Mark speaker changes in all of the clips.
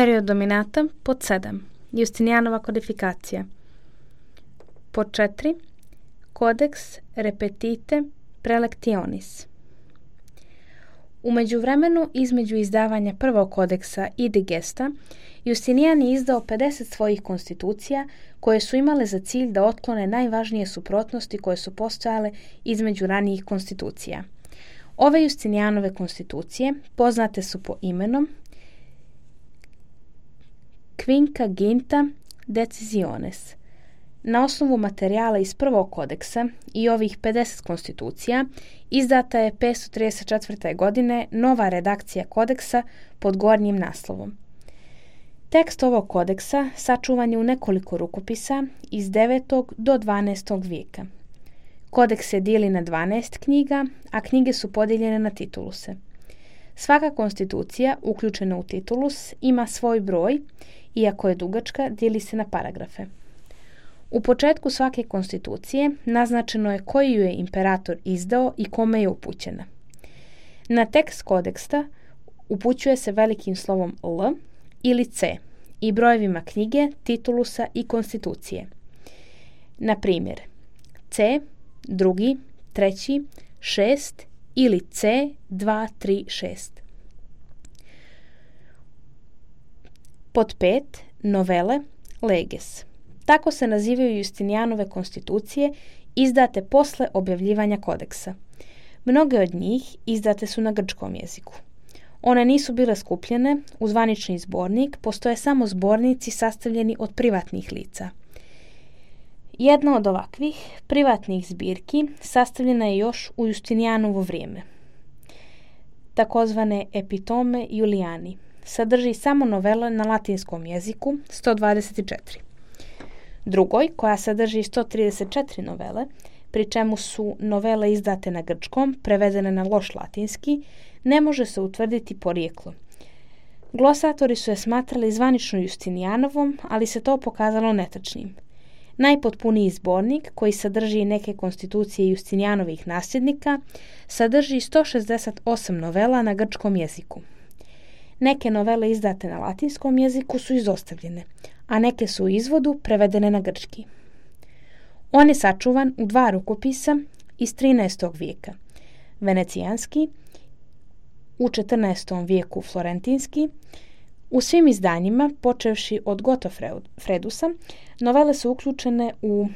Speaker 1: Period dominata pod 7. Justinijanova kodifikacija. Pod 4. Codex repetite prelectionis. U međuvremenu, između izdavanja prvog kodeksa i digesta, Justinijan je izdao 50 svojih konstitucija koje su imale za cilj da otklone najvažnije suprotnosti koje su postojale između ranijih konstitucija. Ove Justinijanove konstitucije poznate su po imenom Quinquaginta Decisiones. Na osnovu materijala iz prvog kodeksa i ovih 50 konstitucija izdata je 534. godine nova redakcija kodeksa pod gornjim naslovom. Tekst ovog kodeksa sačuvan je u nekoliko rukopisa iz 9. do 12. vijeka. Kodeks se dijeli na 12 knjiga, a knjige su podijeljene na tituluse. Svaka konstitucija uključena u titulus ima svoj broj, iako je dugačka, dijeli se na paragrafe. U početku svake konstitucije naznačeno je koji ju je imperator izdao i kome je upućena. Na tekst kodeksa upućuje se velikim slovom L ili C i brojevima knjige, titulusa i konstitucije. Na primjer, C, 2, 3, 6 ili C, 2, 3, 6. Pod 5. Novele leges. Tako se nazivaju Justinijanove konstitucije izdate posle objavljivanja kodeksa. Mnoge od njih izdate su na grčkom jeziku. One nisu bile skupljene u zvanični zbornik, postoje samo zbornici sastavljeni od privatnih lica. Jedna od ovakvih privatnih zbirki sastavljena je još u Justinijanovo vrijeme. Takozvane Epitome Julijani. Sadrži samo novele na latinskom jeziku, 124. Drugoj, koja sadrži 134 novele, pri čemu su novele izdate na grčkom, prevedene na loš latinski, ne može se utvrditi porijeklo. Glosatori su je smatrali zvanično Justinijanovom, ali se to pokazalo netačnim. Najpotpuniji zbornik, koji sadrži neke konstitucije Justinijanovih nasljednika, sadrži 168 novela na grčkom jeziku. Neke novele izdate na latinskom jeziku su izostavljene, a neke su u izvodu prevedene na grčki. On je sačuvan u 2 rukopisa iz 13. vijeka, venecijanski, u 14. vijeku florentinski. U svim izdanjima, počevši od Godofredusa, novele su uključene u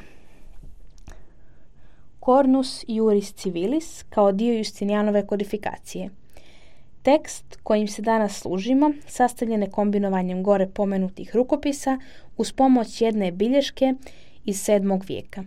Speaker 1: Cornus Iuris Civilis kao dio Justinijanove kodifikacije. Tekst kojim se danas služimo sastavljen je kombinovanjem gore pomenutih rukopisa uz pomoć jedne bilješke iz 7. vijeka.